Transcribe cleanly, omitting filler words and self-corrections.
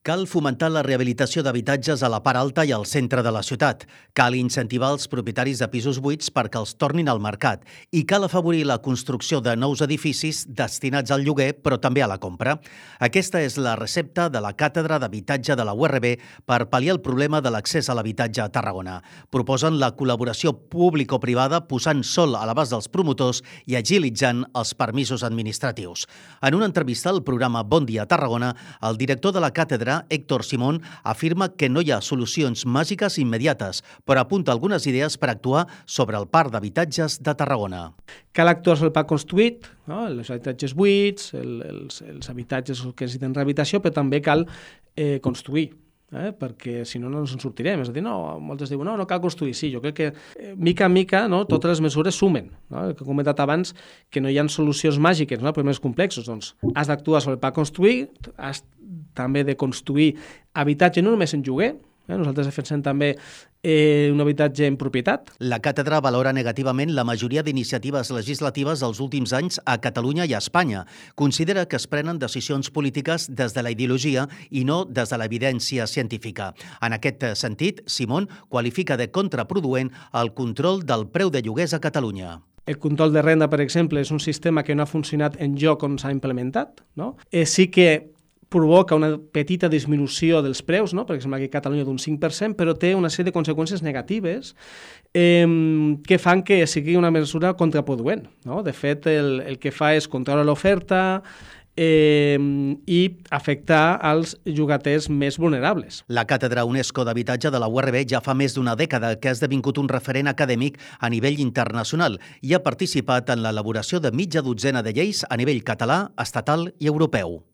Cal fomentar la rehabilitació d'habitatges a la part alta i al centre de la ciutat. Cal incentivar els propietaris de pisos buits perquè els tornin al mercat. I cal afavorir la construcció de nous edificis destinats al lloguer, però també a la compra. Aquesta és la recepta de la Càtedra d'Habitatge de la URB per pal·liar el problema de l'accés a l'habitatge a Tarragona. Proposen la col·laboració público-privada posant sol a l'abast dels promotors i agilitzant els permisos administratius. En una entrevista al programa Bon Dia Tarragona, el director de la càtedra, Héctor Simón, afirma que no hi ha solucions màgiques immediates, però apunta algunes idees per actuar sobre el parc d'habitatges de Tarragona. Cal actuar sobre el parc construït, no? Els habitatges buits, els habitatges que necessiten rehabilitació, però també cal construir. Perquè si no, no ens en sortirem. És a dir, moltes diuen, no cal construir. Sí, jo crec que mica en mica totes les mesures sumen. El que he comentat abans, que no hi ha solucions màgiques, problemes complexos. Doncs has d'actuar sobre el parc construït, has també de construir habitatge no només en lloguer. Nosaltres defensem també un habitatge en propietat. La càtedra valora negativament la majoria d'iniciatives legislatives dels últims anys a Catalunya i a Espanya. Considera que es prenen decisions polítiques des de la ideologia i no des de l'evidència científica. En aquest sentit, Simón qualifica de contraproduent el control del preu de lloguers a Catalunya. El control de renda, per exemple, és un sistema que no ha funcionat en lloc on s'ha implementat. Sí que provoca una petita disminució dels preus, per exemple, aquí a Catalunya d'un 5%, però té una sèrie de conseqüències negatives que fan que sigui una mesura contraproduent. De fet, el que fa és controlar l'oferta i afectar els llogaters més vulnerables. La Càtedra UNESCO d'Habitatge de la URB ja fa més d'una dècada que ha esdevingut un referent acadèmic a nivell internacional i ha participat en l'elaboració de mitja dotzena de lleis a nivell català, estatal i europeu.